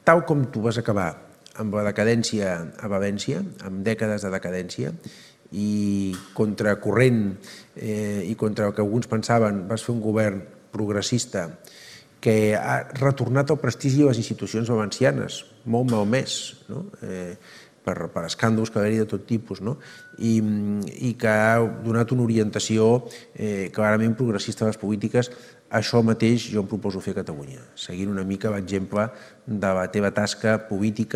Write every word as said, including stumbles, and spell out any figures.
tal com tu vas acabar amb la decadència a València, amb dècades de decadència, i contracorrent i contra el que alguns pensaven, vas fer un govern progressista que ha retornat el prestigi a les institucions valencianes, molt malmès, per escàndols que va haver-hi de tot tipus, i que ha donat una orientació clarament progressista a les polítiques. Això mateix jo em proposo fer a Catalunya, seguint una mica l'exemple de la teva tasca política